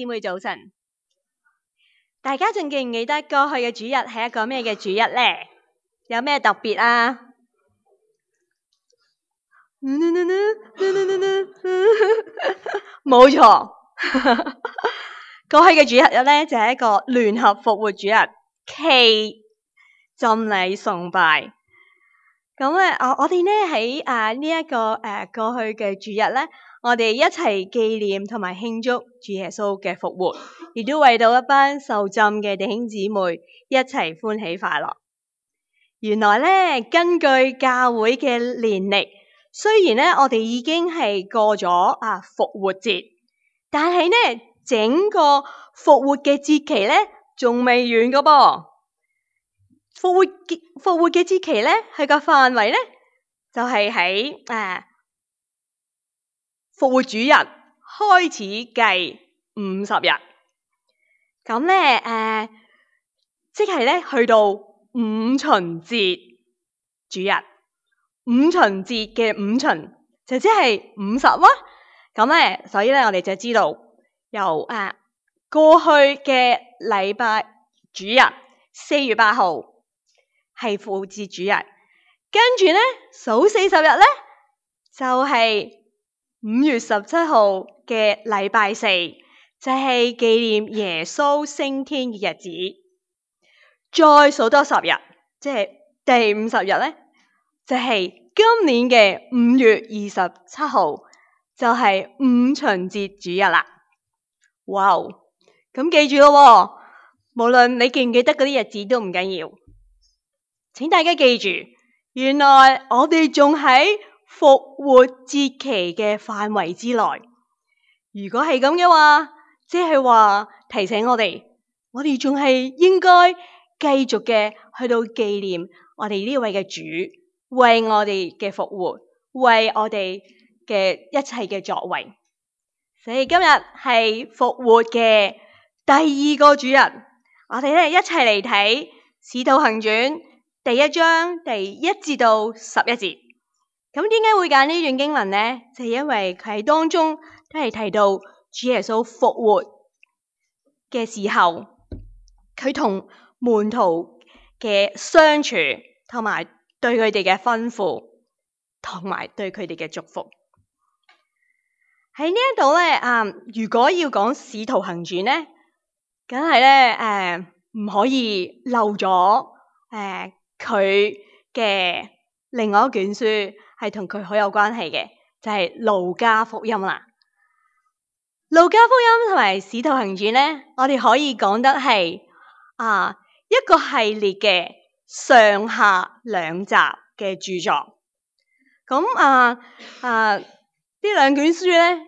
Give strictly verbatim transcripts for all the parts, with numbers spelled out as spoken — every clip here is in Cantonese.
姊妹早晨，大家仲記唔記得過去嘅主日係一個咩嘅主日呢？有咩特別啊？冇錯，過去嘅主日咧就係一個聯合復活主日暨浸禮崇拜。咁咧，我我哋咧喺啊呢一個誒過去嘅主日咧，我哋一齊紀念同埋慶祝主耶穌嘅復活，亦都為到一班受浸嘅弟兄姊妹一齊歡喜快樂。原來咧，根據教會嘅年曆，雖然咧我哋已經係過咗啊復活節，但係咧整個復活嘅節期咧仲未完噶噃。復活節復活嘅節期咧，佢個範圍咧就係喺誒復活主日開始計五十日，咁咧誒即係咧去到五旬節主日，五旬節嘅五旬就即係五十啦。咁咧，所以咧我哋就知道由誒、呃、過去嘅禮拜主日四月八號。係復活節主日，跟住咧數四十日咧就係、是、五月十七號嘅禮拜四，就係、是、紀念耶穌升天嘅日子。再數多十日，即係第五十日咧，就係、是、今年嘅五月二十七號，就係、是、五旬節主日啦。哇！咁記住咯，無論你記唔記得嗰啲日子都唔緊要。請大家記住，原來我哋仲喺復活節期嘅範圍之內。如果係咁嘅話，即係話提醒我哋，我哋仲係應該繼續嘅去到紀念我哋呢位嘅主，為我哋嘅復活，為我哋嘅一切嘅作為。所以今日係復活嘅第二個主日，我哋咧一齊嚟睇《使徒行傳》第一章第一至到十一節。咁點解會揀呢段經文呢？就係因為佢喺當中都係提到主耶穌復活嘅時候，佢同門徒嘅相處，同埋對佢哋嘅吩咐，同埋對佢哋嘅祝福。喺呢一度咧，啊，如果要講使徒行傳咧，梗係咧，誒，唔可以漏咗誒佢嘅另外一卷書係同佢好有關係嘅，就係路加福音啦。路加福音同埋使徒行傳咧，我哋可以講得係啊一個系列嘅上下兩集嘅著作。咁啊啊呢兩卷書咧，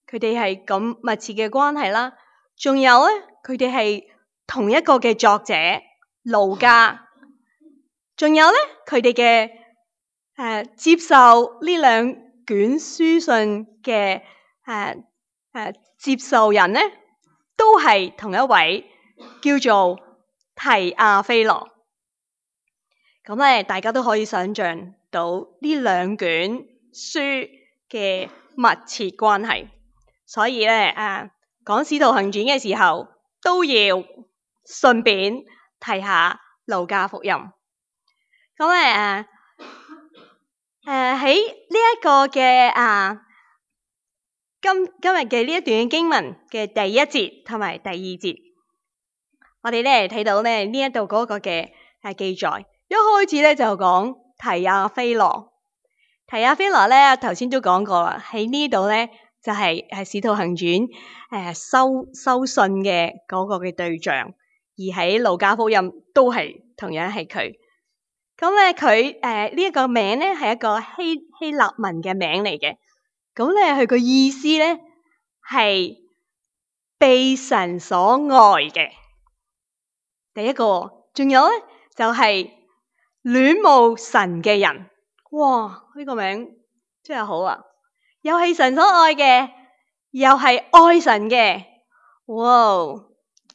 佢哋係咁密切嘅關係啦。仲有咧，佢哋係同一個嘅作者路加。仲有咧，佢哋嘅誒接受呢兩卷書信嘅誒誒接受人咧，都係同一位叫做提亞非羅。咁咧，大家都可以想象到呢兩卷書嘅密切關係。所以咧，誒講使徒行傳嘅時候，都要順便提下路加福音。咁誒誒喺呢一個嘅啊今今日嘅呢一段經文嘅第一節同埋第二節，我哋咧睇到咧呢一度嗰個嘅誒記載，一開始咧就講提亞非羅，提亞非羅咧頭先都講過啦，喺呢度咧就係係使徒行傳誒收收信嘅嗰個嘅對象，而喺路加福音都係同樣係佢。咁咧佢誒呢一個名咧係一個希希臘文嘅名嚟嘅，咁咧佢個意思咧係被神所愛嘅。第一個，仲有咧就係戀慕神嘅人。哇！呢個名真係好啊，又係神所愛嘅，又係愛神嘅。哇！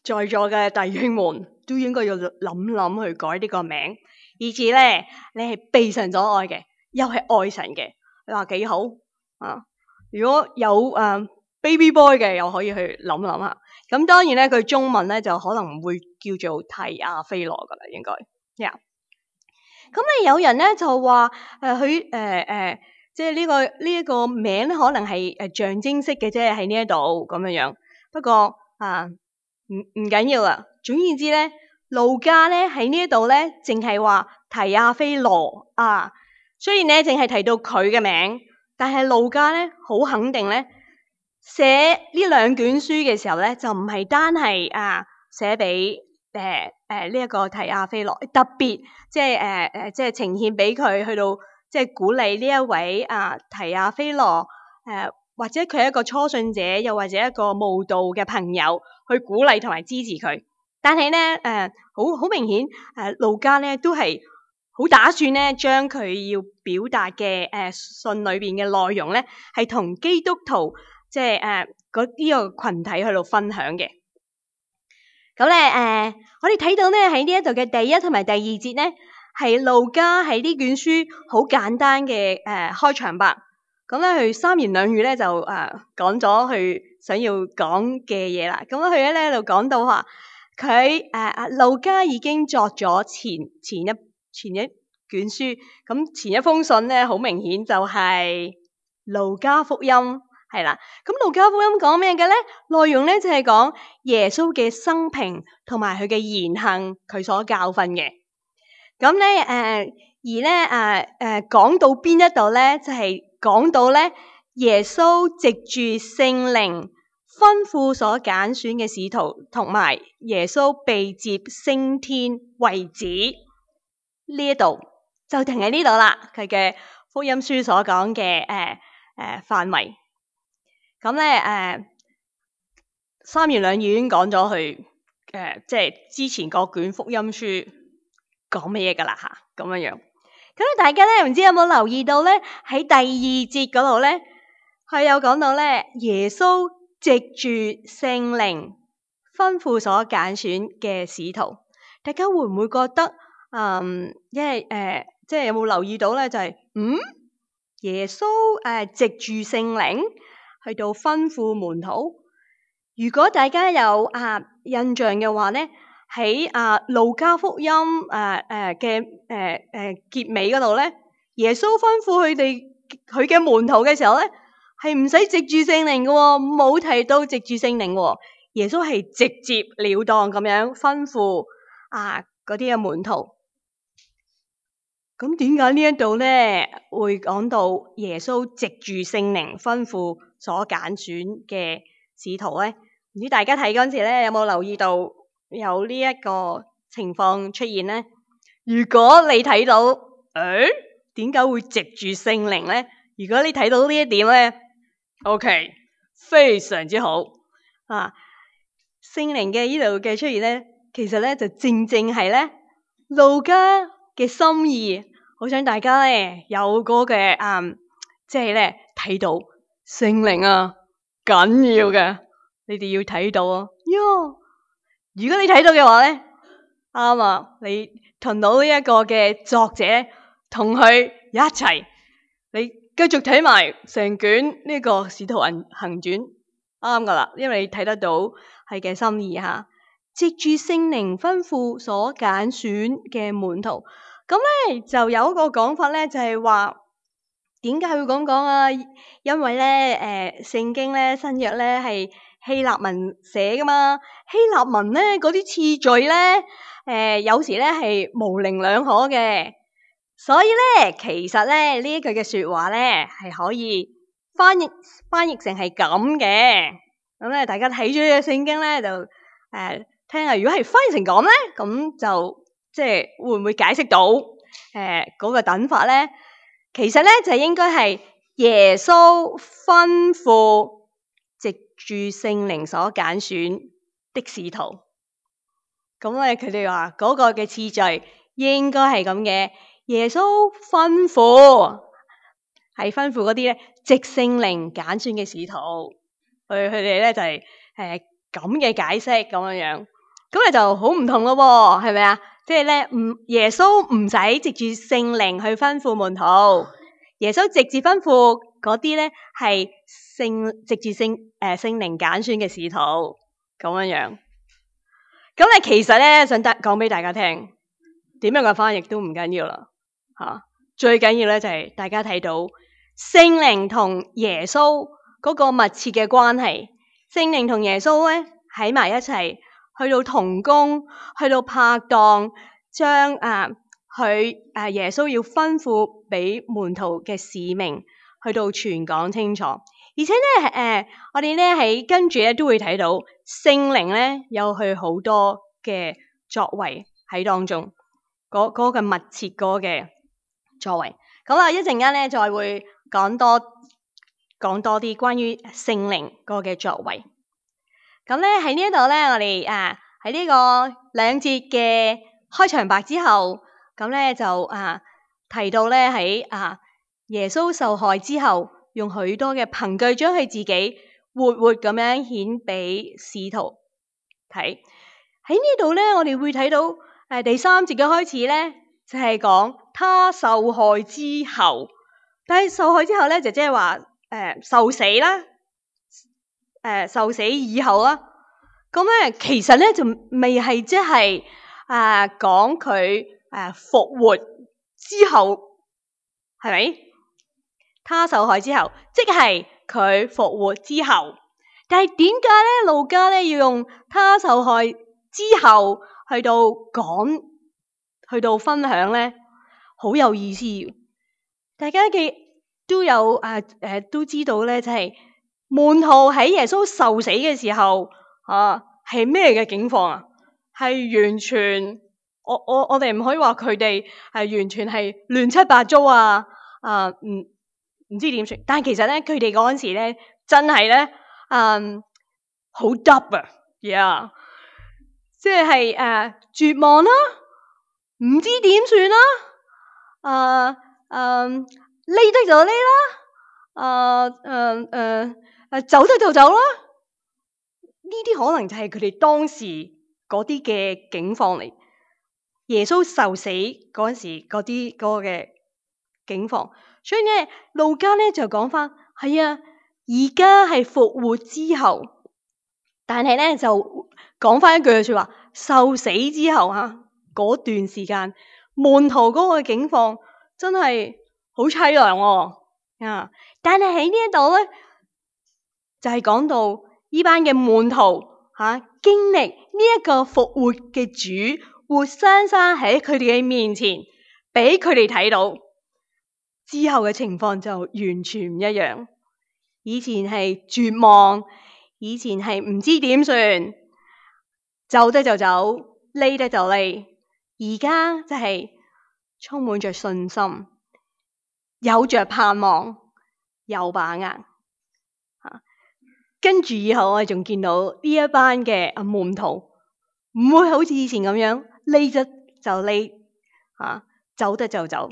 在座嘅弟兄們都應該要諗諗去改呢個名。以至咧，你係被神所愛嘅，又係愛神嘅，你話幾好啊？如果有誒 baby boy 嘅，又可以去諗諗下。咁當然咧，佢中文咧就可能會叫做提亞非羅噶啦，應該。呀、yeah. 咁咧有人咧就話誒佢誒誒，即係呢個呢一個名咧，可能係誒象徵式嘅啫，喺呢一度咁樣樣。不過啊，唔唔緊要啦。總言之咧，路加咧喺呢一度咧，淨係話提亞非羅啊。雖然咧淨係提到佢嘅名，但係路加咧好肯定咧，寫呢兩卷書嘅時候咧，就唔係單係啊寫俾誒誒呢一個提亞非羅，特別即係誒誒即係呈現俾佢去到即係鼓勵呢一位啊提亞非羅誒，或者佢係一個初信者，又或者一個慕道嘅朋友去鼓勵同埋支持佢。但係咧誒好好明顯誒路加咧都係好打算咧將佢要表達嘅誒信裏邊嘅內容咧係同基督徒即係誒嗰呢個群體去到分享嘅。咁咧誒，我哋睇到咧喺呢一度嘅第一同埋第二節咧，係路加喺呢卷書好簡單嘅誒、呃、開場白。咁咧佢三言兩語咧就誒、呃、講咗佢想要講嘅嘢啦。咁佢咧喺度講到話，佢誒阿路加已經作咗前前一前一卷書，咁前一封信咧好明顯就係路加福音。係啦，咁路加福音講咩嘅咧？內容咧就係講耶穌嘅生平同埋佢嘅言行，佢所教訓嘅。咁咧誒，而咧誒誒講到邊一度咧，就係、是、講到咧耶穌藉住聖靈吩咐所揀選嘅使徒，同埋耶穌被接升天為止。呢一度就停喺呢度啦。佢嘅福音書所講嘅誒誒範圍。咁咧誒三言兩語已經講咗佢誒，即係之前各卷福音書講乜嘢噶啦吓，咁樣樣。咁大家咧唔知有冇留意到咧？喺第二節嗰度咧，佢有講到咧，耶穌藉住聖靈吩咐所揀選嘅使徒。大家會唔會覺得嗯，因為誒，即係有冇留意到咧？就係、是、嗯，耶穌誒藉住聖靈去到吩咐門徒。如果大家有啊印象嘅話咧，喺啊路加福音誒誒嘅誒誒結尾嗰度咧，耶穌吩咐佢哋佢嘅門徒嘅時候咧，係唔使藉住聖靈嘅，冇提到藉住聖靈嘅。耶穌係直接了當咁樣吩咐啊嗰啲嘅門徒。咁點解呢一度咧會講到耶穌藉住聖靈吩咐所揀選嘅使徒咧？唔知大家睇嗰陣時咧有冇留意到有呢一個情況出現咧？如果你睇到，誒點解會藉住聖靈咧？如果你睇到呢一點咧 ，OK， 非常之好啊！聖靈嘅呢度嘅出現咧，其實咧就正正係咧路加嘅心意，好想大家咧有嗰嘅嗯，即係咧睇到聖靈啊緊要嘅，你哋要睇到啊喲！如果你睇到嘅話咧，啱啊，你同到呢一個嘅作者同佢一齊，你繼續睇埋成卷呢個使徒行行傳，啱噶啦，因為你睇得到係嘅心意吓，藉住聖靈吩咐所揀選嘅門徒。咁咧就有一個講法咧，就係話點解會咁講啊？因為咧誒聖經咧新約咧係希臘文寫噶嘛，希臘文咧嗰啲次序咧誒、呃、有時咧係模棱兩可嘅，所以咧其實咧呢一句嘅說話咧係可以翻譯翻譯成係咁嘅。咁咧大家睇咗呢個聖經咧就誒、呃、聽下，如果係翻譯成咁咧，咁就。即係會唔會解釋到誒嗰、呃那個等法咧？其實咧就應該係耶穌吩咐藉住聖靈所揀選的使徒。咁咧佢哋話嗰個嘅次序應該係咁嘅。耶穌吩咐係吩咐嗰啲咧藉聖靈揀選嘅使徒。佢佢哋咧就係誒咁嘅解釋咁樣樣。咁咧就好唔同咯喎，係咪啊？即係咧，唔耶穌唔使藉住聖靈去吩咐門徒，耶穌直接吩咐嗰啲咧係聖直接聖誒聖靈揀選嘅使徒咁樣樣。咁咧其實咧想得講俾大家聽，點樣嘅翻譯都唔緊要啦嚇，最緊要咧就係大家睇到聖靈同耶穌嗰個密切嘅關係，聖靈同耶穌咧喺埋一齊，去到同工，去到拍檔，將啊佢誒耶穌要吩咐俾門徒嘅使命，去到傳講清楚。而且咧誒、呃，我哋咧喺跟住咧都會睇到聖靈咧有佢好多嘅作為喺當中，嗰嗰、嗰個密切嗰嘅作為。咁啊，一陣間咧再會講多講多啲關於聖靈嗰個嘅作為。咁咧喺呢一度咧，我哋啊喺呢個兩節嘅開場白之後，咁咧就啊提到咧喺啊耶穌受害之後，用許多嘅憑據將佢自己活活咁樣顯俾使徒睇。喺呢度咧，我哋會睇到誒、啊、第三節嘅開始咧，就係、是、講他受害之後，但係受害之後咧就即係話誒受死啦。誒、呃，受死以後啦，咁咧其實咧就未係即係啊講佢誒復活之後係咪？他受害之後，即係佢復活之後。但係點解咧路加咧要用他受害之後去到講，去到分享咧，好有意思。大家嘅都有誒誒、呃、都知道咧，就係、是。門徒喺耶穌受死嘅時候，啊係咩嘅境況啊？係完全，我我我哋唔可以話佢哋係完全係亂七八糟啊！啊，唔唔知點算。但係其實咧，佢哋嗰陣時咧，真係咧，嗯，好 double 啊，呀，即係誒絕望啦，唔知點算啦，啊嗯，匿得就匿啦，啊嗯誒。誒，走得就走啦！呢啲可能就係佢哋當時嗰啲嘅境況嚟。耶穌受死嗰陣時嗰啲嗰個嘅境況，所以咧路加咧就講翻係啊，而家係復活之後，但係咧就講翻一句嘅說話，受死之後吓嗰段時間，門徒嗰個境況真係好淒涼啊！但係喺呢一度咧。就係講到呢班嘅門徒吓、啊，經歷呢一個復活嘅主活生生喺佢哋嘅面前，俾佢哋睇到之後嘅情況就完全唔一樣。以前係絕望，以前係唔知點算，走得就走，匿得就匿。而家就係充滿着信心，有着盼望，有把握。跟住以後我哋仲見到呢一班嘅啊門徒唔會好似以前咁樣匿得就匿啊，走得就走。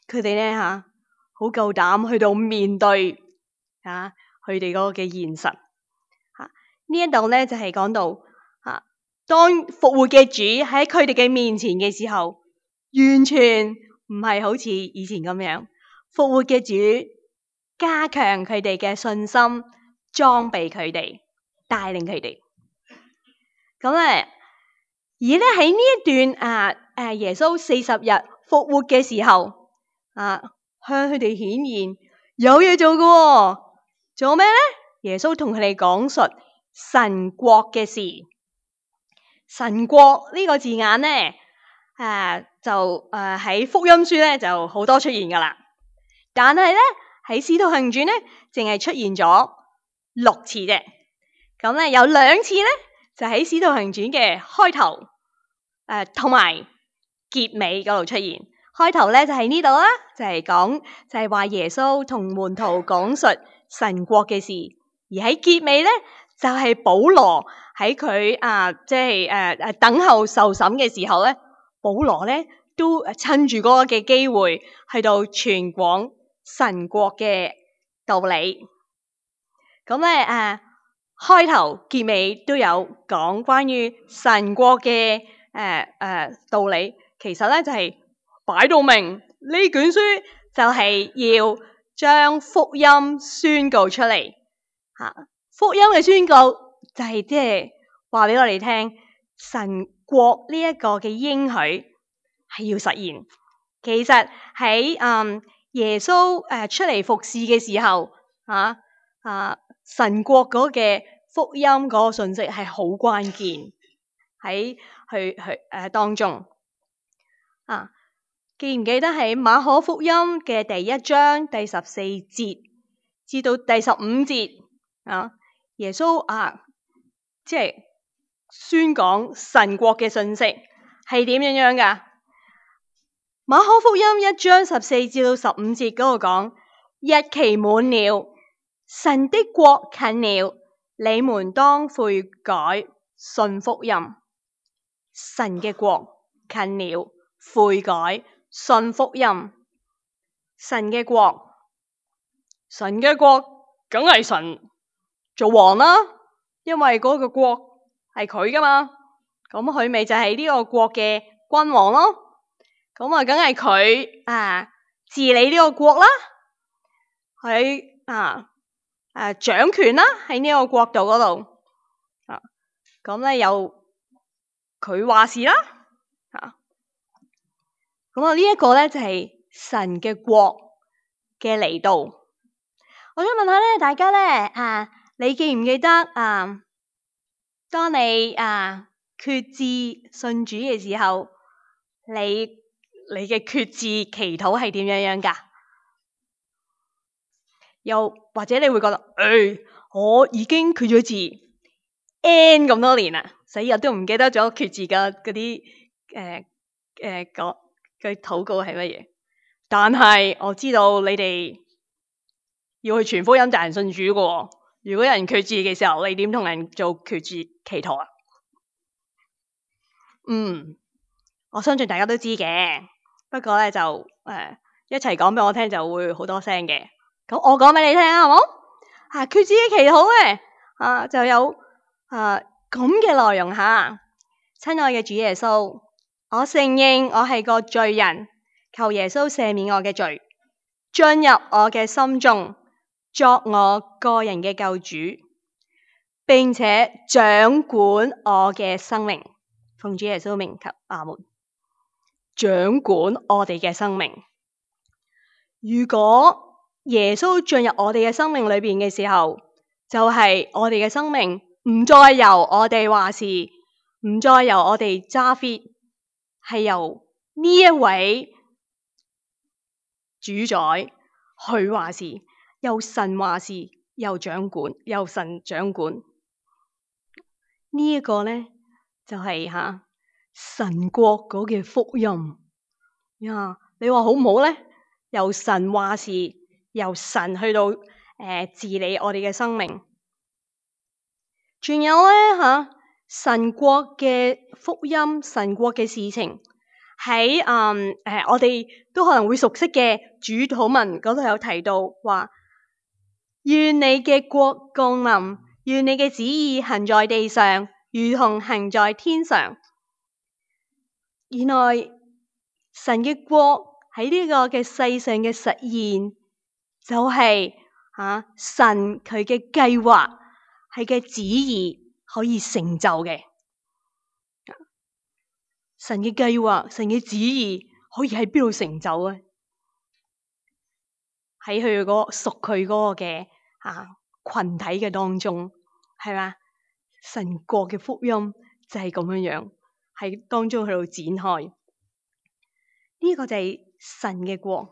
佢哋咧吓好夠膽去到面對啊佢哋嗰個嘅現實吓。啊、呢一度咧就係、是、講到啊，當復活嘅主喺佢哋嘅面前嘅時候，完全唔係好似以前咁樣。復活嘅主加強佢哋嘅信心。裝備佢哋，帶領佢哋。咁咧，而咧喺呢一段啊誒耶穌四十日復活嘅時候啊，向佢哋顯現有嘢做嘅、哦，做咩咧？耶穌同佢哋講述神國嘅事。神國呢個字眼咧，誒、啊、就誒喺、啊、福音書咧就好多出現噶啦，但係咧喺使徒行傳咧淨係出現咗六次啫，咁咧有兩次咧就喺使徒行傳嘅開頭，誒同埋結尾嗰度出現。開頭咧就喺呢度啦，就係、是、講就係、是、話耶穌同門徒講述神國嘅事，而喺結尾咧就係、是、保羅喺佢啊即係誒誒等候受審嘅時候咧，保羅咧都趁住嗰個嘅機會去到傳廣神國嘅道理。咁咧誒，開頭結尾都有講關於神國嘅誒誒道理。其實咧就係擺到明呢卷書就係要將福音宣告出嚟。吓，福音嘅宣告就係即係話俾我哋聽，神國呢一個嘅應許係要實現。其實喺嗯耶穌誒出嚟服侍嘅時候，啊啊神國嗰嘅福音嗰個信息係好關鍵喺去去誒、呃、當中。啊，記唔記得喺馬可福音嘅第一章第十四節至到第十五節啊？耶穌啊，即係宣講神國嘅信息係點樣樣噶？馬可福音一章十四至到十五節嗰度講，日期滿了，神的國近了，你們當悔改，信福音。神嘅國近了，悔改，信福音。神嘅國，神嘅國梗係神做王啦，因為嗰個國係佢噶嘛，咁佢咪就係呢個國嘅君王咯。咁啊，梗係佢啊治理呢個國啦，佢啊誒掌權啦喺呢個國度嗰度啊，咁咧又佢話事啦啊，咁啊呢一個咧就係神嘅國嘅嚟到。我想問下咧，大家咧啊，你記唔記得啊？當你啊決志信主嘅時候，你你嘅決志祈禱係點樣樣噶？又或者你會覺得，誒、哎，我已經決咗志 N 咁多年啦，死日都唔記得咗決志嘅嗰啲誒誒個嘅禱告係乜嘢？但係我知道你哋要去傳福音帶人信主嘅喎。如果有人決志嘅時候，你點同人做決志祈禱啊？嗯，我相信大家都知嘅，不過咧就誒、呃、一齊講俾我聽就會好多聲嘅。咁我講俾你聽啊，好冇？啊，決志嘅祈禱咧啊就有啊咁嘅內容吓。親愛嘅主耶穌，我承認我係個罪人，求耶穌赦免我嘅罪，進入我嘅心中，作我個人嘅救主，並且掌管我嘅生命。奉主耶穌名求阿門。掌管我哋嘅生命。如果耶穌進入我哋嘅生命裏邊嘅時候，就係、是、我哋嘅生命唔再由我哋話事，唔再由我哋揸 fit， 係由呢一位主宰去話事，由神話事，由掌管，由神掌管。這個、呢一個咧就係、是、吓、啊、神國嗰嘅福音呀。你話好唔好咧？由神話事，由神去到誒、呃、治理我哋嘅生命。仲有咧吓、啊、神國嘅福音，神國嘅事情喺誒誒我哋都可能會熟悉嘅主禱文嗰度有提到話，願你嘅國降臨，願你嘅旨意行在地上，如同行在天上。原來神嘅國喺呢個嘅世上嘅實現，就係、是、吓、啊、神佢嘅計劃，係嘅旨意可以成就嘅。神嘅計劃，神嘅旨意可以喺邊度成就啊？喺佢嗰個屬佢嗰個嘅啊群體嘅當中，係嘛？神國嘅福音就係咁樣樣喺當中去到展開。呢、這個就係神嘅國，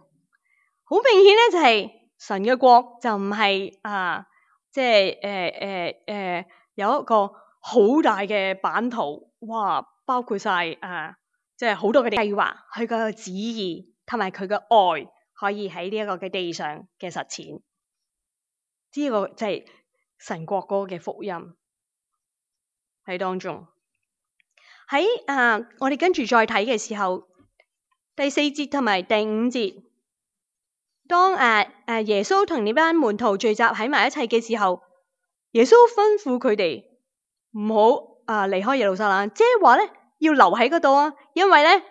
好明顯咧就係、是、神嘅國就唔係啊，即係誒誒誒有一個好大嘅版圖，哇，包括晒啊，即係好多嘅計劃，佢個旨意同埋佢嘅愛可以喺呢一個嘅地上嘅實踐。呢、這個就係神國嗰個嘅福音喺當中。喺啊，我哋跟住再睇嘅時候。第四節同埋第五節，當誒誒、啊啊、耶穌同呢班門徒聚集喺埋一齊嘅時候，耶穌吩咐佢哋唔好啊離開耶路撒冷，即係話咧要留喺嗰度啊，因為咧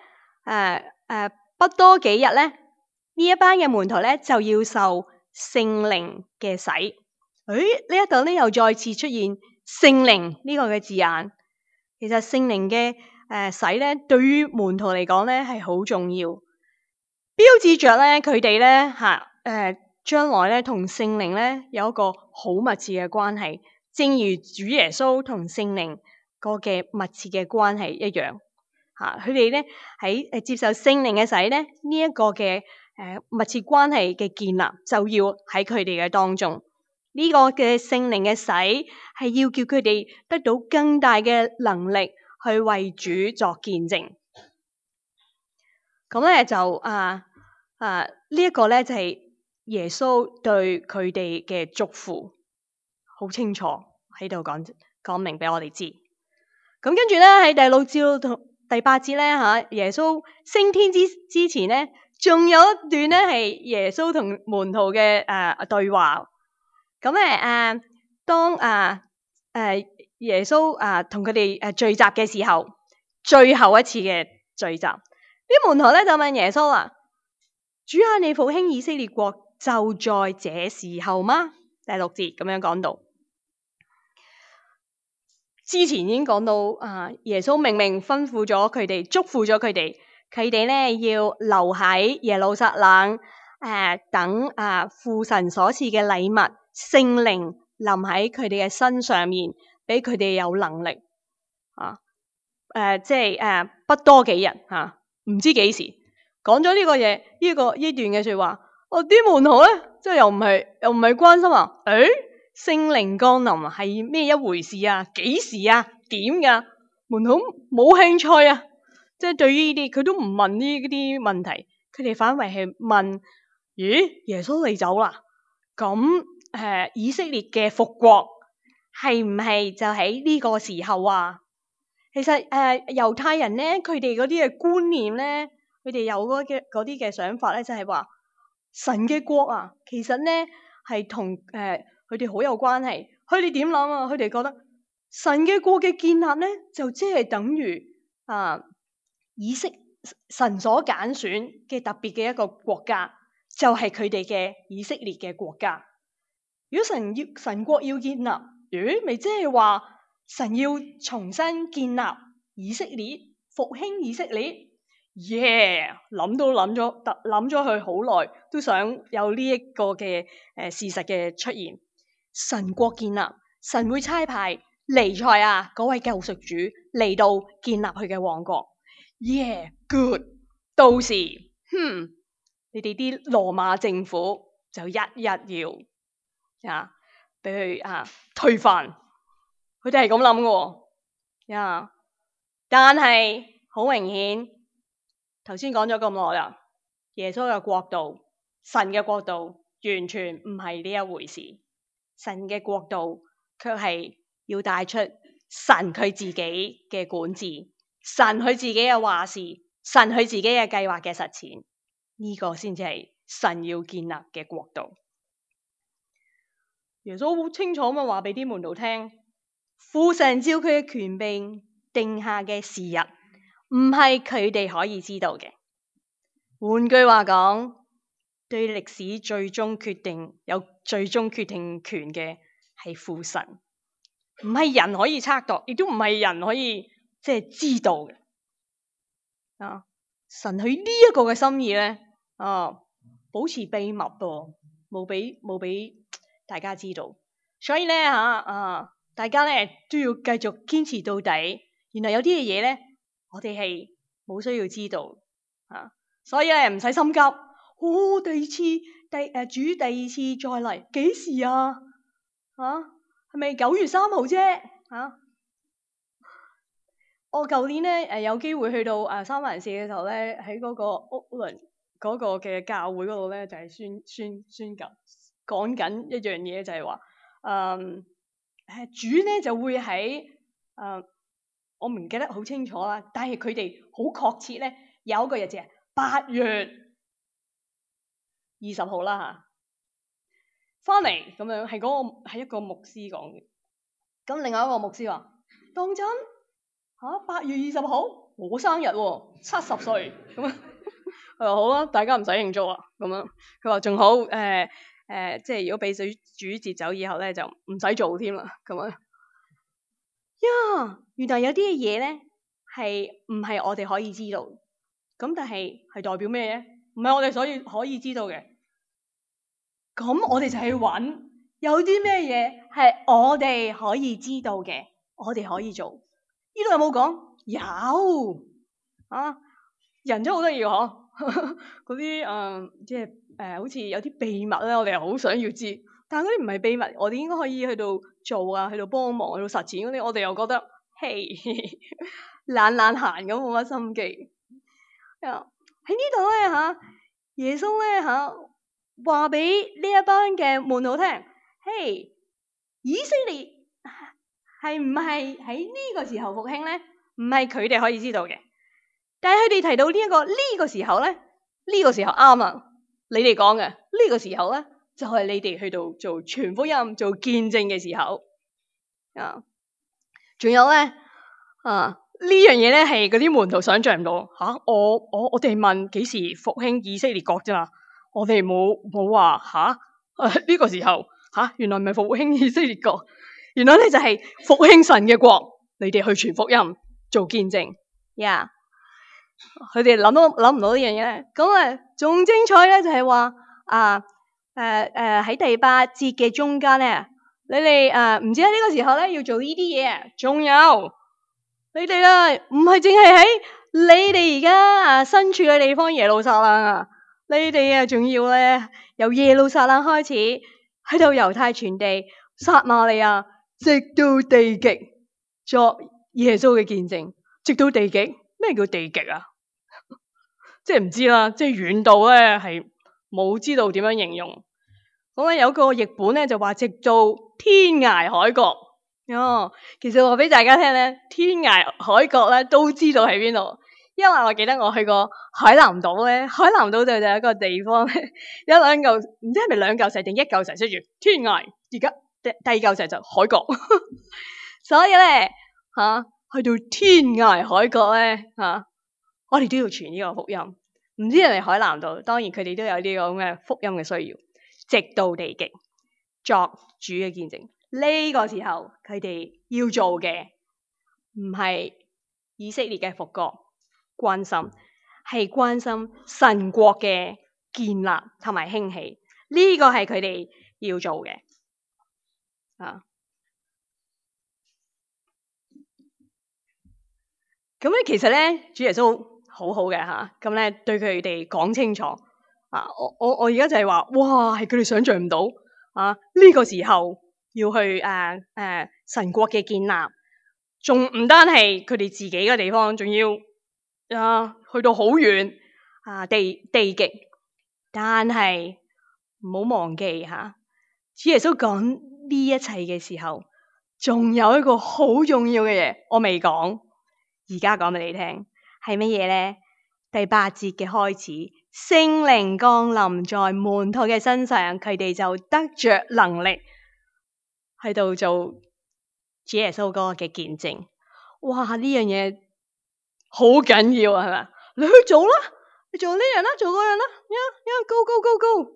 誒誒不多幾日咧呢一班嘅門徒咧就要受聖靈嘅洗。誒，呢一度咧又再次出現聖靈呢個嘅字眼。其實聖靈嘅誒洗咧，對於門徒嚟講咧係好重要，標誌着咧佢哋咧吓誒將來咧同聖靈咧有一個好密切嘅關係，正如主耶穌同聖靈個嘅密切嘅關係一樣。吓，佢哋咧喺誒接受聖靈嘅洗咧，呢一個嘅誒密切關係嘅建立就要喺佢哋嘅當中。呢個嘅聖靈嘅洗係要叫佢哋得到更大嘅能力去為主作見證。咁咧就啊啊呢一個咧就係耶穌對佢哋嘅祝福，好清楚喺度講講明俾我哋知。咁跟住咧喺第六節到第八節咧吓，耶穌升天之之前咧，仲有一段咧係耶穌同門徒嘅誒對話。咁咧誒，當啊誒耶穌啊同佢哋誒聚集嘅時候，最後一次嘅聚集，啲門徒咧就問耶穌啦：主啊，你復興以色列國就在這時候嗎？第六節咁樣講到，之前已經講到啊，耶穌明明吩咐咗佢哋，囑咐咗佢哋，佢哋咧要留喺耶路撒冷。誒、呃，等啊父神所賜嘅禮物聖靈臨喺佢哋嘅身上面，俾佢哋有能力啊。誒、呃，即係誒、呃，不多幾日吓，唔、啊、知幾時講咗呢個嘢，呢、這個呢段嘅說話。我啲門徒咧，即係又唔係又唔係關心啊？誒，聖靈降臨係咩一回事啊？幾時啊？點噶？門徒冇興趣啊！即係對於呢啲，佢都唔問呢啲問題，佢哋反為係問。咦，耶穌你走啦？咁誒、呃，以色列嘅復國係唔係就喺呢個時候啊？其實誒，猶、呃、太人咧，佢哋嗰啲嘅觀念咧，佢哋有嗰嘅嗰啲嘅想法咧，就係、是、話神嘅國啊，其實咧係同誒佢哋好有關係。佢哋點諗啊？佢哋覺得神嘅國嘅建立咧，就即係等於啊以色神所揀選嘅特別嘅一個國家。就係佢哋嘅以色列嘅國家。如果神要神國要建立，咦，咪即係話神要重新建立以色列，復興以色列？耶，諗都諗咗，諗咗佢好耐，都想有呢一個嘅誒事實嘅出現。神國建立，神會差派彌賽亞嗰位救贖主嚟到建立佢嘅王國。耶，good，到時，哼。你哋啲羅馬政府就一一要啊，俾佢啊推翻，佢哋係咁諗嘅喎。但係好明顯，頭先講咗咁耐啦，耶穌嘅國度、神嘅國度完全唔係呢一回事。神嘅國度卻係要帶出神佢自己嘅管治，神佢自己嘅話事，神佢自己嘅計劃嘅實踐。呢個先至係神要建立嘅國度。耶穌好清楚咁話俾啲門徒聽，父神照佢嘅權柄定下嘅時日，唔係佢哋可以知道嘅。換句話講，對歷史最終決定有最終決定權嘅係父神，唔係人可以測度，亦都唔係人可以即係知道嘅。啊，神佢呢一個嘅心意咧。啊！保持秘密噃，冇俾冇俾大家知道，所以咧吓啊，大家咧都要繼續堅持到底。原來有啲嘅嘢咧，我哋係冇需要知道啊，所以咧唔使心急。哦，第二次第誒、呃、主第二次再嚟幾時啊？啊，係咪九月三號啫？啊！我舊年咧誒有機會去到誒三藩市嘅時候咧，喺嗰個屋崙。嗰個嘅教會嗰度咧，就係、是、宣宣宣講講緊一樣嘢，就係話，誒誒主咧就會喺誒、呃，我唔記得好清楚啦，但係佢哋好確切咧，有一個日子係八月二十號啦嚇，翻嚟咁樣係嗰、那個係一個牧師講嘅，咁另外一個牧師話：當真嚇八月二十號我生日喎，七十歲咁啊！佢話好啦，大家唔使慶祝啦，咁樣佢話仲好誒誒呃、即係如果俾水煮截走以後咧，就唔使做添啦，咁樣。呀，原來有啲嘅嘢咧係唔係我哋可以知道，咁但係係代表咩咧？唔係我哋所以可以知道嘅。咁我哋就去揾有啲咩嘢係我哋可以知道嘅，我哋可以做。呢度有冇講？有啊，人都好得意嗬，嗰啲誒，即係誒，好似有啲秘密咧，我哋又好想要知，但係嗰啲唔係秘密，我哋應該可以去到做啊，去到幫忙，去到實踐嗰啲，我哋又覺得嘿，懶懶閒咁，冇乜心機。啊，喺呢度咧吓，耶穌咧吓話俾呢一班嘅門徒聽，嘿，以色列係唔係喺呢個時候復興咧？唔係佢哋可以知道嘅，但係佢哋提到呢、這、一個呢、這個時候咧，呢、這個時候啱啊！你哋講嘅呢個時候咧，就係、是、你哋去到做傳福音、做見證嘅時候啊！仲有咧啊，呢樣嘢咧係嗰啲門徒想象唔到吓、啊，我我我哋問幾時復興以色列國啫嘛？我哋冇冇話吓誒呢個時候吓、啊，原來唔係復興以色列國，原來咧就係、是、復興神嘅國，你哋去傳福音。做見證，呀、yeah.！佢哋諗都諗唔到呢樣嘢咧，咁啊仲精彩咧就係話啊誒誒喺第八節嘅中間咧，你哋誒唔知喺呢個時候咧要做呢啲嘢，仲有你哋啊唔係淨係喺你哋而家啊身處嘅地方耶路撒冷啊，你哋啊仲要咧由耶路撒冷開始喺度猶太全地、撒瑪利亞，直到地極作耶穌嘅見證，直到地極。咩叫地極啊？即係唔知啦，即係遠到咧係冇知道點樣形容。咁咧有個譯本咧就話直到天涯海角。哦，其實話俾大家聽咧，天涯海角咧都知道喺邊度，因為我記得我去過海南島咧，海南島就有一個地方咧，有兩嚿唔知係咪兩嚿石定一嚿石，寫住天涯，而家第第二嚿石就海角，所以咧。吓、啊，去到天涯海角咧，吓、啊，我哋都要傳呢個福音。唔知人哋海南島，當然佢哋都有呢個咁嘅福音嘅需要，直到地極作主嘅見證。呢、這個時候佢哋要做嘅唔係以色列嘅復國關心，係關心神國嘅建立同埋興起。呢、這個係佢哋要做嘅啊。咁咧，其實咧，主耶穌好好嘅吓，咁、啊、咧對佢哋講清楚啊！我我我而家就係話，哇，係佢哋想象唔到啊！呢、這個時候要去誒誒、啊啊、神國嘅建立，仲唔單係佢哋自己嘅地方，仲要啊去到好遠啊地地極。但係唔好忘記吓、啊，主耶穌講呢一切嘅時候，仲有一個好重要嘅嘢，我未講。而家講俾你聽係乜嘢咧？第八節嘅開始，聖靈降臨在門徒嘅身上，佢哋就得着能力喺度做主耶穌嗰個嘅見證。哇！呢樣嘢好緊要啊，係咪？你去做啦，你做呢樣啦，做嗰樣啦，呀呀，go go go go！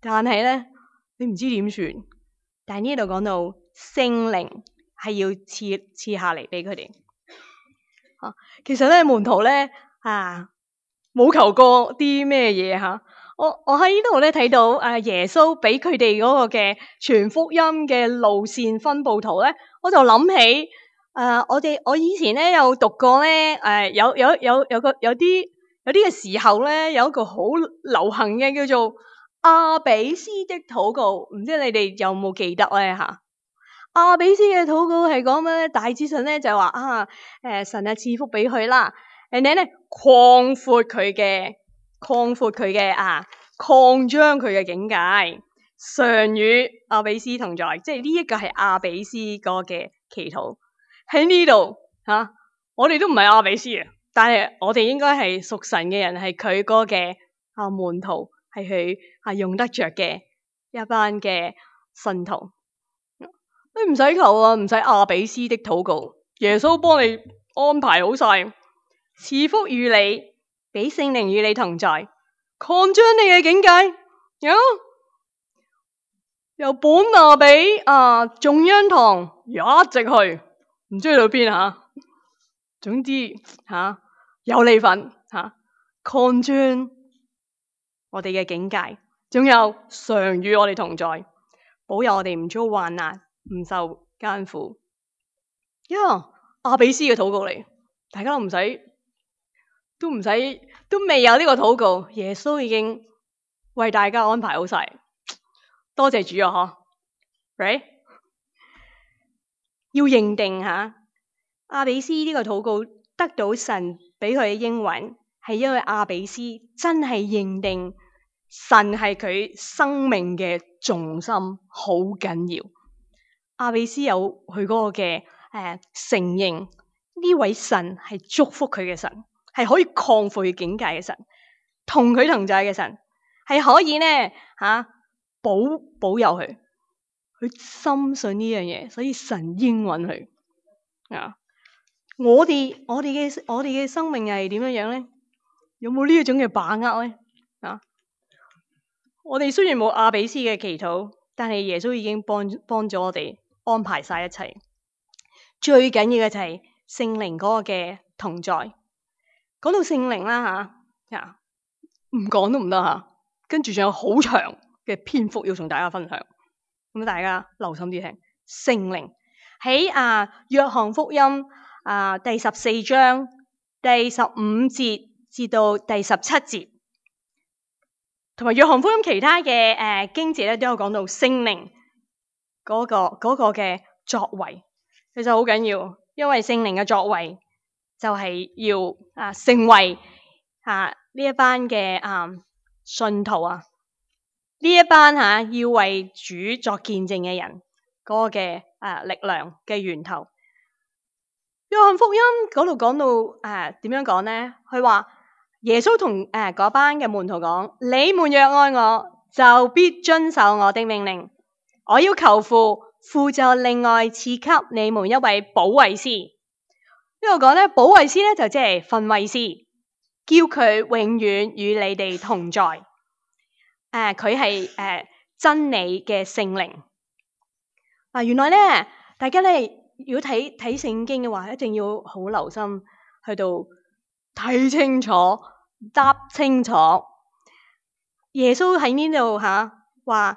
但係咧，你唔知點算。但係呢度講到聖靈係要賜賜下嚟俾佢哋。啊，其實咧門徒咧啊冇求過啲咩嘢吓，我我喺呢度咧睇到誒耶穌俾佢哋嗰個嘅傳福音嘅路線分佈圖咧，我就諗起誒、呃、我哋我以前咧有讀過咧誒、呃、有有有有個有啲有啲嘅時候咧有一個好流行嘅叫做阿比斯的禱告，唔知你哋有冇記得咧吓？阿比斯嘅禱告係講咩咧？大致上咧就係話啊，誒、呃、神啊賜福俾佢啦，誒你咧擴闊佢嘅擴闊佢嘅啊，擴張佢嘅境界，常與阿比斯同在，即係呢一個係阿比斯個嘅祈禱喺呢度吓。我哋都唔係阿比斯啊，但係我哋應該係屬神嘅人，係佢個嘅啊門徒，係佢啊用得着嘅一班嘅信徒。你唔使求啊，唔使阿比斯的禱告，耶穌幫你安排好晒，賜福與你，俾聖靈與你同在，擴張你嘅境界。有由本拿比啊中央堂一直去，唔知去到邊吓。總之吓、啊、有你份吓，擴張我哋嘅境界，仲有常與我哋同在，保佑我哋唔遭患難，唔受艱苦。呀、yeah，阿比斯嘅禱告嚟，大家都唔使，都唔使，都未有呢個禱告，耶穌已經為大家安排好晒。多謝主啊！嗬，right？要認定下阿比斯呢個禱告得到神俾佢嘅應允，係因為阿比斯真係認定神係佢生命嘅重心，好緊要。阿比斯有佢嗰個嘅誒、呃、承認呢位神係祝福佢嘅神，係可以擴闊佢境界嘅神，同佢同在嘅神，係可以呢吓、啊、保保佑佢。佢深信呢樣嘢，所以神應允佢啊！我哋我哋嘅我哋嘅生命係點樣樣咧？有冇呢一種嘅把握咧？啊！我哋雖然冇阿比斯嘅祈禱，但係耶穌已經幫幫咗我哋安排晒一切。最緊要嘅就係聖靈嗰個嘅同在。講到聖靈啦吓，啊唔講都唔得吓。跟住仲有好長嘅篇幅要同大家分享。咁大家留心啲聽，聖靈喺啊約翰福音啊第十四章第十五節至到第十七節，同埋約翰福音其他嘅誒、呃、經節咧都有講到聖靈嗰個嗰個嘅作為，其實好緊要，因為聖靈嘅作為就係要啊成為啊呢一班嘅啊信徒啊。呢一班吓、啊、要為主作見證嘅人嗰、那個嘅啊力量嘅源頭。約翰福音嗰度講到誒點樣講咧？佢話耶穌同誒嗰班嘅門徒講：你們若愛我，就必遵守我的命令。我要求父，父就另外賜給你們一位保惠師。呢度講咧，保惠師咧就即係訓慰師，叫佢永遠與你哋同在。誒，佢係誒真理嘅聖靈。嗱，原來咧，大家咧如果睇睇聖經嘅話，一定要好留心去到睇清楚、答清楚。耶穌喺呢度吓話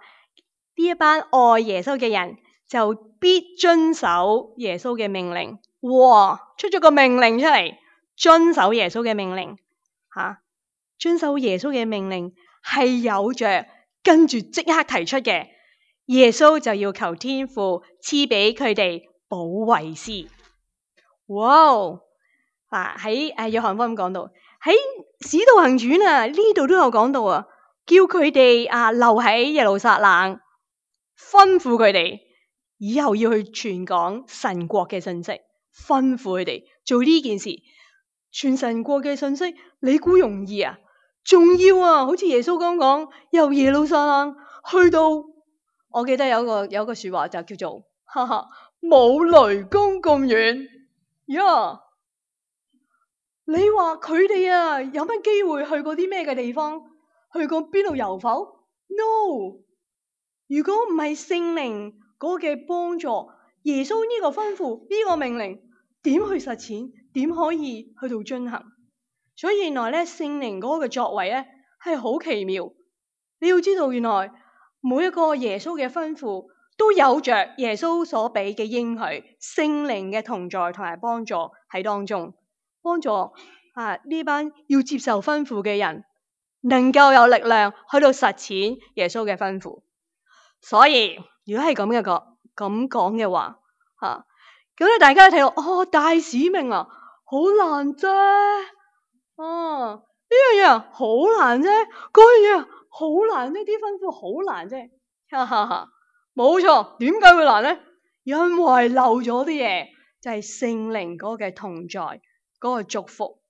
呢一班愛耶穌嘅人就必遵守耶穌嘅命令。哇，出咗個命令出嚟，遵守耶穌嘅命令吓、啊，遵守耶穌嘅命令。係有着跟住即刻提出嘅，耶穌就要求天父賜俾佢哋保惠師。哇！嗱喺誒約翰福音講到，喺使徒行傳啊呢度都有講到啊，叫佢哋啊留喺耶路撒冷，吩咐佢哋以後要去傳講神國嘅信息，吩咐佢哋做呢件事，傳神國嘅信息，你估容易啊？重要啊！好似耶穌咁講，由耶路撒冷去到，我記得有個有個說話就叫做，哈哈，冇雷公咁遠呀。Yeah. 你話佢哋啊，有乜機會去過啲咩嘅地方？去過邊度遊否 ？No。如果唔係聖靈嗰個嘅幫助，耶穌呢個吩咐呢、呢個命令，點去實踐？點可以去到進行？所以原來咧聖靈嗰個嘅作為咧係好奇妙。你要知道，原來每一個耶穌嘅吩咐都有着耶穌所俾嘅應許，聖靈嘅同在同埋幫助喺當中，幫助啊呢班要接受吩咐嘅人能夠有力量去到實踐耶穌嘅吩咐。所以如果係咁嘅個咁講嘅話，吓咁咧大家睇到哦大使命啊，好難啫。哦，呢樣嘢好難啫，嗰樣嘢好難，呢啲吩咐好難啫，哈哈哈，冇錯。點解會難咧？因為漏咗啲嘢，就係聖靈嗰個嘅同在，嗰個祝福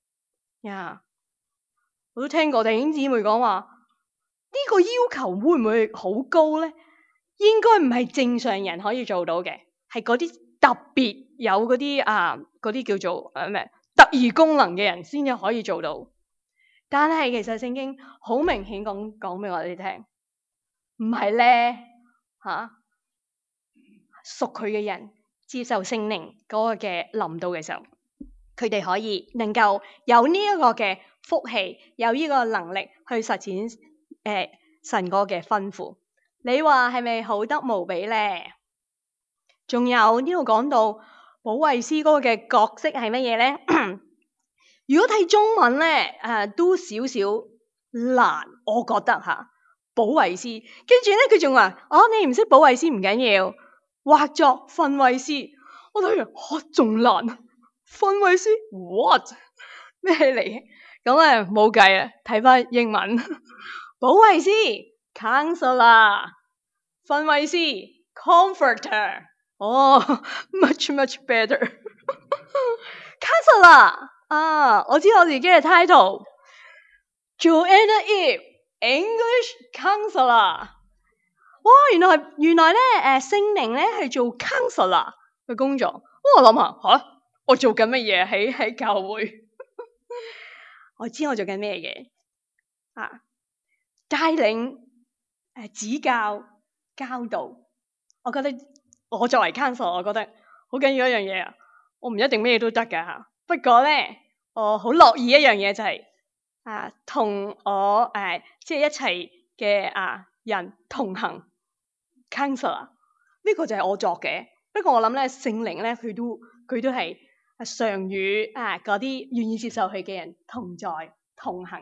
呀。我都聽過弟兄姊妹講話，呢個要求會唔會好高咧？應該唔係正常人可以做到嘅，係嗰啲特別有嗰啲啊，嗰啲叫做誒咩？特異功能嘅人先至可以做到，但係其實聖經好明顯講講俾我哋聽，唔係咧，嚇屬佢嘅人接受聖靈嗰個嘅臨到嘅時候，佢哋可以能夠有呢一個嘅福氣，有呢個能力去實踐誒、呃、神嗰嘅吩咐。你話係咪好得無比咧？仲有呢度講到保惠師嗰個嘅角色係乜嘢咧？如果睇中文咧，誒、呃、都少少難，我覺得嚇。保惠師，跟住咧佢仲話：哦，你唔識保惠師唔緊要，或作訓慰師。我睇完，嚇仲難，訓慰師 what 咩嚟？咁啊冇計啊，睇翻英文，保惠師 counselor， 訓慰師 comforter。哦、oh, ，much much better。counselor 啊，我知我自己嘅 title，Joanna Eve。English counselor， 哇！原來係原來咧，誒聖靈咧係做 counselor 嘅工作。我諗下嚇，我做緊乜嘢喺喺教會？我知我做緊咩嘢啊？帶領、誒、呃、指教、教導。我覺得我作為 counselor，我覺得好緊要一樣嘢啊！我唔一定咩都得㗎嚇，不過咧，我好樂意一樣嘢就係、是。啊，同我誒、呃，即係一齊嘅啊人同行 counselor， 呢個就係我作嘅。不過我諗咧，聖靈咧，佢都佢都係常與啊嗰啲願意接受佢嘅人同在同行，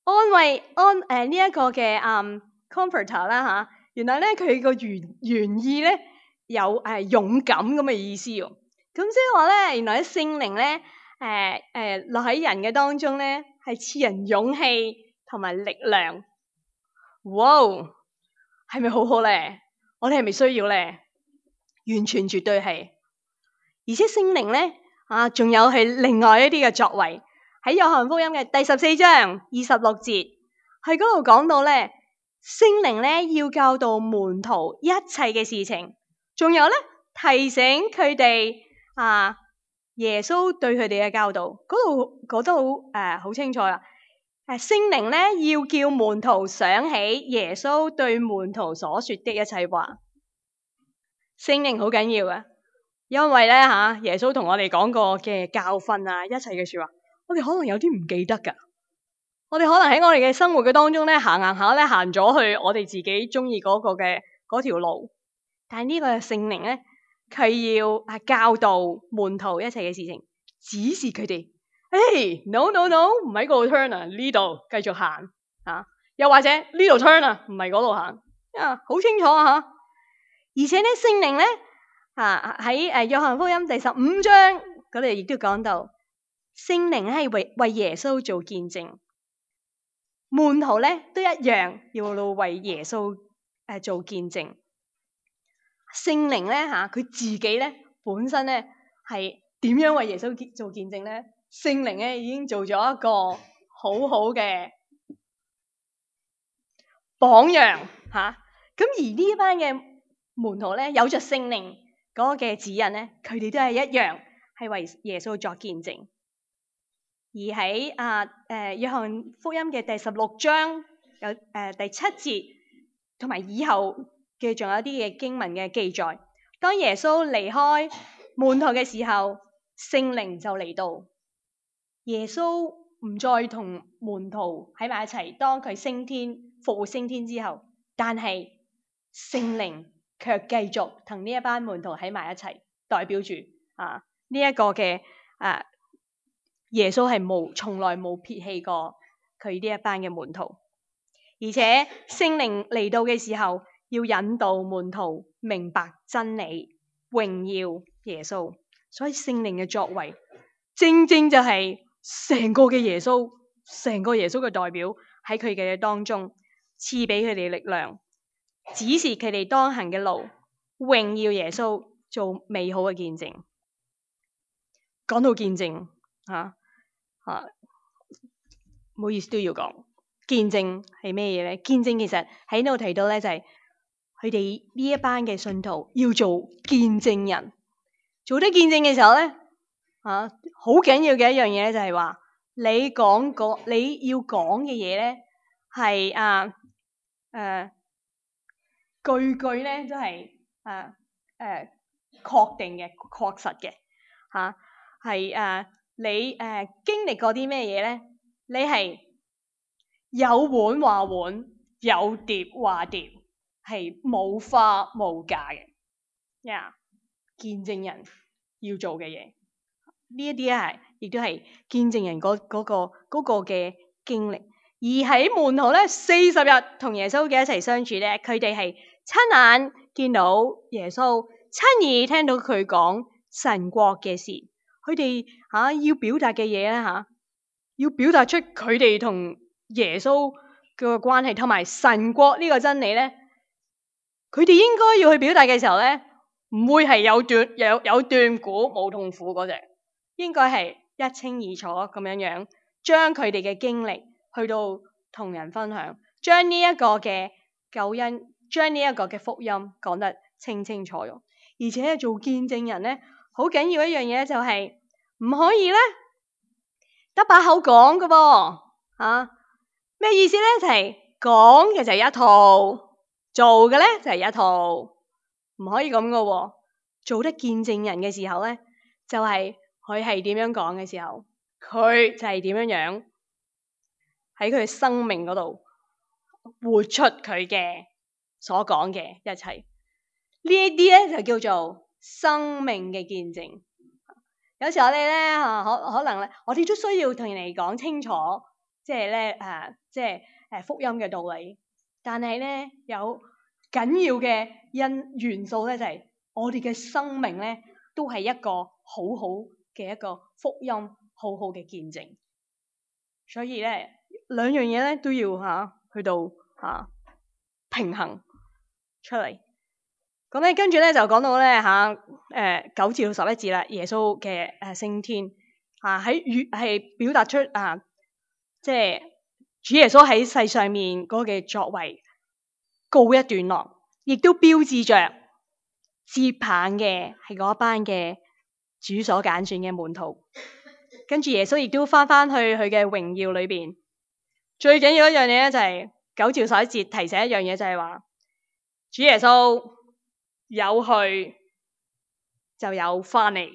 安慰安誒呢一個嘅嗯 comforter 啦嚇。原來咧佢個原原意咧有誒、呃、勇敢咁嘅意思喎。咁即係話咧，原來啲聖靈咧。誒誒落喺人嘅當中咧，係賜人勇氣同埋力量。哇！係咪好好咧？我哋係咪需要咧？完全絕對係。而且聖靈咧啊，仲有係另外一啲嘅作為。喺約翰福音嘅第十四章二十六節，喺嗰度講到咧，聖靈咧要教導門徒一切嘅事情，仲有咧提醒佢哋啊。耶穌對佢哋嘅教導，嗰度講得好誒，好清楚啦。誒，聖靈咧要叫門徒想起耶穌對門徒所說的一切話。聖靈好緊要嘅，因為咧吓耶穌同我哋講過嘅教訓啊，一切嘅說話，我哋可能有啲唔記得噶。我哋可能喺我哋嘅生活嘅當中咧行行下咧行咗去我哋自己中意嗰個嘅嗰條路，但係呢個聖靈咧。佢要啊教導門徒一切嘅事情，指示佢哋，誒、hey, no no no，唔喺嗰度 turn 啊，呢度繼續行啊，又或者呢度 turn 啊，唔係嗰度行啊，好清楚啊吓。而且咧聖靈咧啊喺誒約翰福音第十五章嗰度亦都講到，聖靈咧係為為耶穌做見證，門徒咧都一樣要為耶穌誒做見證。聖靈咧吓，佢自己咧本身咧係點樣為耶穌做見證咧？聖靈咧已經做咗一個好好嘅榜樣吓。咁、啊、而呢一班嘅門徒咧，有着聖靈嗰個嘅指引咧，佢哋都係一樣係為耶穌作見證。而喺啊誒約翰福音嘅第十六章有誒、呃、第七節同埋以後。嘅仲有啲嘅經文嘅記載，當耶穌離開門徒嘅時候，聖靈就嚟到。耶穌唔再同門徒喺埋一齊，當佢升天復活升天之後，但係聖靈卻繼續同呢一班門徒喺埋一齊，代表住啊呢一個嘅啊耶穌係冇從來冇撇棄過佢呢一班嘅門徒，而且聖靈嚟到嘅時候。要引導門徒明白真理，榮耀耶穌。所以聖靈嘅作為，正正就係成個嘅耶穌，成個耶穌嘅代表喺佢哋嘅當中，賜俾佢哋力量，指示佢哋當行嘅路，榮耀耶穌，做美好嘅見證。講到見證，吓吓，唔好意思都要講，見證係咩嘢咧？見證其實喺呢度提到咧，就係、是。佢哋呢一班嘅信徒要做見證人，做得見證嘅時候咧，啊，好緊要嘅一樣嘢咧，就係話你講個你要講嘅嘢咧，係啊誒句句咧都係誒誒確定嘅、確實嘅嚇，係、啊、誒、啊、你誒、啊、經歷過啲咩嘢咧？你係有碗話碗，有碟話碟，係冇花冇假嘅。呀、yeah，見證人要做嘅嘢，呢一啲咧係亦都係見證人嗰嗰個嗰個嘅經歷。而喺門徒咧四十日同耶穌嘅一齊相處咧，佢哋係親眼見到耶穌，親耳聽到佢講神國嘅事。佢哋嚇要表達嘅嘢咧嚇，要表達出佢哋同耶穌嘅關係同埋神國呢個真理咧，佢哋應該要去表達嘅時候咧，唔會係有斷有有斷估冇痛苦嗰隻，應該係一清二楚咁樣樣，將佢哋嘅經歷去到同人分享，將呢一個嘅救恩，將呢一個嘅福音講得清清楚楚。而且做見證人咧，好緊要一樣嘢就係唔可以咧得把口講㗎噃嚇。咩意思咧？就係講嘅就係一套，做嘅咧就係一套，唔可以咁㗎喎。做得見證人嘅時候咧，就係佢係點樣講嘅時候，佢就係點樣樣喺佢嘅生命嗰度活出佢嘅所講嘅一切。呢一啲咧就叫做生命嘅見證。有時我哋咧嚇可可能咧，我哋都需要同人哋講清楚，即係咧誒，即係誒福音嘅道理。但係咧有緊要嘅因元素咧，就係、是、我哋嘅生命咧，都係一個好好嘅一個福音，好好嘅見證。所以咧兩樣嘢咧都要嚇、啊、去到嚇、啊、平衡出嚟。咁咧跟住咧就講到咧嚇誒九至到十一節啦，耶穌嘅誒升天嚇喺語係表達出啊，即係主耶穌喺世上面嗰個嘅作為告一段落，亦都標誌着接棒嘅係嗰班嘅主所揀選嘅門徒。跟住耶穌亦都翻翻去佢嘅榮耀裏邊。最緊要一樣嘢咧就係九至十一節提醒一樣嘢，就係話主耶穌有去就有翻嚟，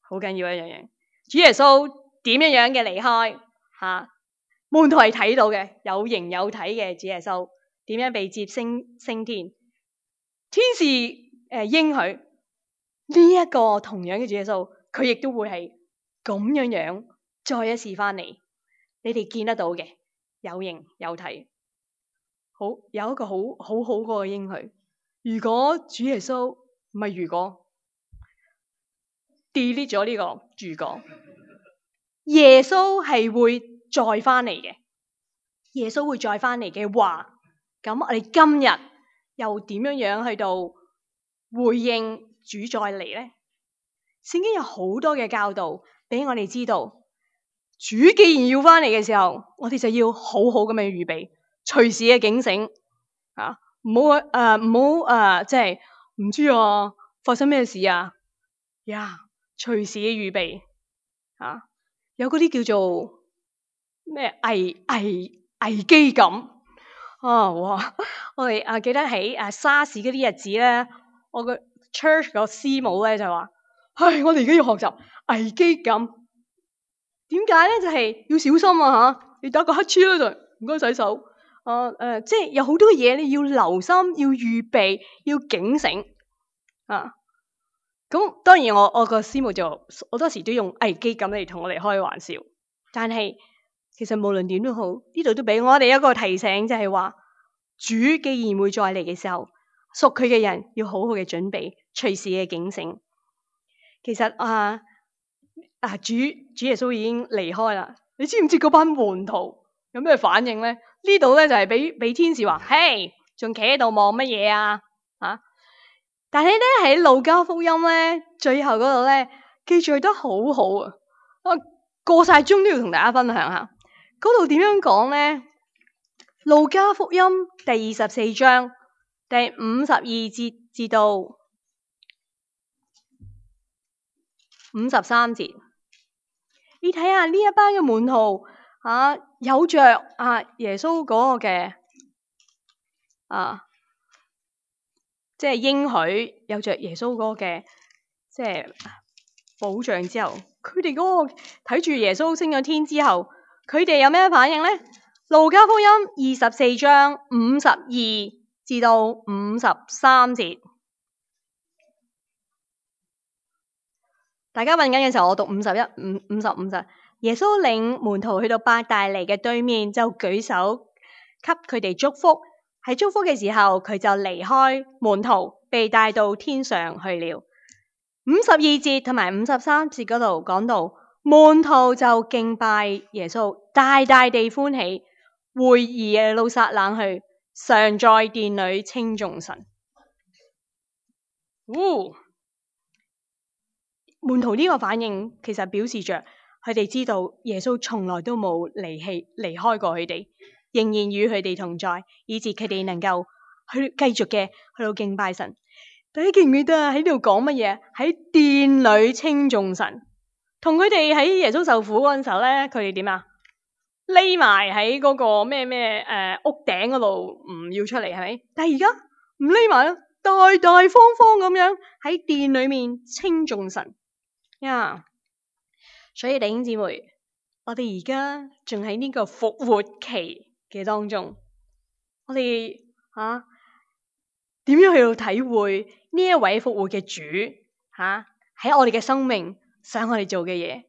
好緊要一樣嘢。主耶穌點樣樣嘅離開吓，門徒係睇到嘅，有形有體嘅主耶穌點樣被接升升天，天使誒應許呢一個同樣嘅主耶穌，佢亦都會係咁樣樣再一次翻嚟，你哋見得到嘅，有形有體，好有一個好好好個應許。如果主耶穌唔係如果 delete 咗呢個如果，耶穌係會再翻嚟嘅。耶穌會再翻嚟嘅話，咁我哋今日又點樣樣去到回應主再嚟咧？聖經有好多嘅教導俾我哋知道，主既然要翻嚟嘅時候，我哋就要好好咁樣預備，隨時嘅警醒啊！唔好誒，唔好誒，即係唔知啊，發生咩事啊？呀，隨時嘅預備啊，有嗰啲叫做咩危危危機感啊！哇，我哋啊記得喺誒沙士嗰啲日子咧，我個 church 個師母咧就話：唉，我哋而家要學習危機感。點解咧？就係、是、要小心啊！吓，你打個乞嗤咧就唔該洗手。啊誒、呃，即係有好多嘢你要留心，要預備，要警醒啊！咁當然我我個師母就好多時都用危機感嚟同我哋開玩笑，但係其實無論點都好，呢度都俾我哋一個提醒，就係話主既然會再嚟嘅時候，屬佢嘅人要好好嘅準備，隨時嘅警醒。其實啊啊主主耶穌已經離開啦，你知唔知嗰班門徒有咩反應咧？呢度咧就係俾俾天使話：嘿，仲企喺度望乜嘢啊？啊！但係咧喺路加福音咧最後嗰度咧記載得好好啊！我過晒鐘都要同大家分享下，嗰度點樣講咧？路加福音第二十四章第五十二節至到五十三節，你睇下呢一班嘅門徒啊，有着啊耶穌嗰個嘅啊即係應許有着耶穌嗰個嘅即係保障之後，佢哋嗰個睇住耶穌升咗天之後，佢哋有咩反應咧？路加福音二十四章五十二至到五十三節，大家揾緊嘅時候，我讀五十一、五五十、五十。耶穌領門徒去到伯大尼嘅對面，就舉手給佢哋祝福。喺祝福嘅時候，佢就離開門徒，被帶到天上去了。五十二節同埋五十三節嗰度講到，門徒就敬拜耶穌，大大地歡喜，回耶路撒冷去，常在殿裏稱頌神。哦，門徒呢個反應其實表示着佢哋知道耶穌從來都冇離棄離開過佢哋，仍然與佢哋同在，以致佢哋能夠去繼續嘅去到敬拜神。大家記唔記得啊？喺度講乜嘢？喺殿裏稱頌神，同佢哋喺耶穌受苦嗰陣時候咧，佢哋點啊？匿埋喺嗰個咩咩誒屋頂嗰度唔要出嚟，係咪？但係而家唔匿埋啦，大大方方咁樣喺殿裏面稱頌神呀。Yeah. 所以弟兄姊妹，我哋而家仲喺呢個復活期嘅當中，我哋吓點樣去到體會呢一位復活嘅主吓喺、啊、我哋嘅生命想我哋做嘅嘢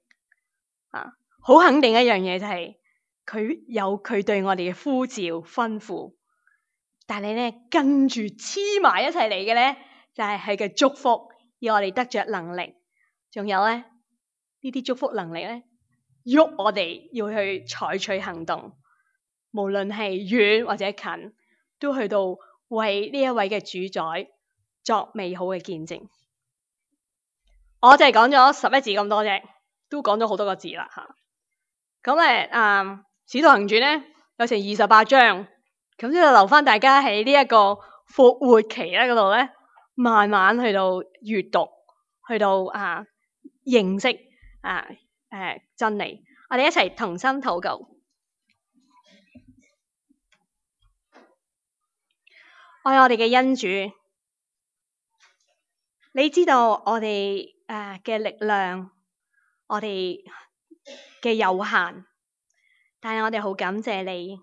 啊？好肯定一樣嘢就係、是、佢有佢對我哋嘅呼召吩咐，但係咧跟住黐埋一齊嚟嘅咧就係佢嘅祝福，要我哋得着能力，仲有咧呢啲祝福能力咧喐我哋要去採取行動，無論係遠或者近，都去到為呢一位嘅主宰作美好嘅見證。我就係講咗十一字咁多啫，都講咗好多個字啦吓。咁咧，啊，《使徒行傳》咧有成二十八章，咁就留翻大家喺呢一個復活期咧嗰度咧，慢慢去到閱讀，去到啊認識啊誒、啊、真理。我哋一齊同心禱告。愛我哋嘅恩主，你知道我哋誒嘅力量，我哋嘅有限，但係我哋好感謝你，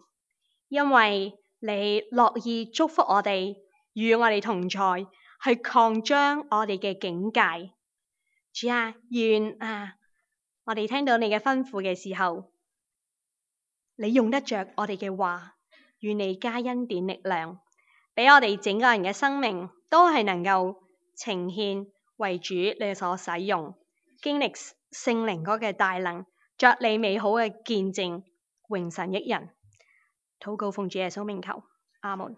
因為你樂意祝福我哋，與我哋同在，去擴張我哋嘅境界。主啊，願啊我哋聽到你嘅吩咐嘅時候，你用得着我哋嘅話，願你加恩典力量，俾我哋整個人嘅生命都係能夠呈獻為主你所使用，經歷聖靈嗰嘅大能，作你美好嘅見證，榮神益人。禱告奉主耶穌名求，阿門。